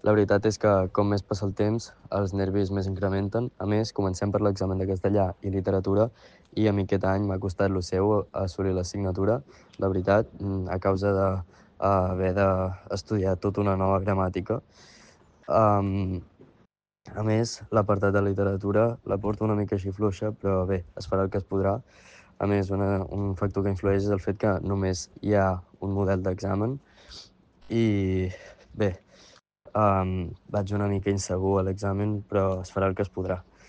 La veritat és que, com més passa el temps, els nervis més incrementen. A més, comencem per l'examen de castellà i literatura i a mi aquest any m'ha costat lo seu assolir l'assignatura, la veritat, a causa de haver d'estudiar tota una nova gramàtica. Um, a més, l'apartat de literatura la porto una mica així fluixa, però bé, es farà el que es podrà. A més, un factor que influeix és el fet que només hi ha un model d'examen i bé, vaig una mica insegur a l'examen, però es farà el que es podrà.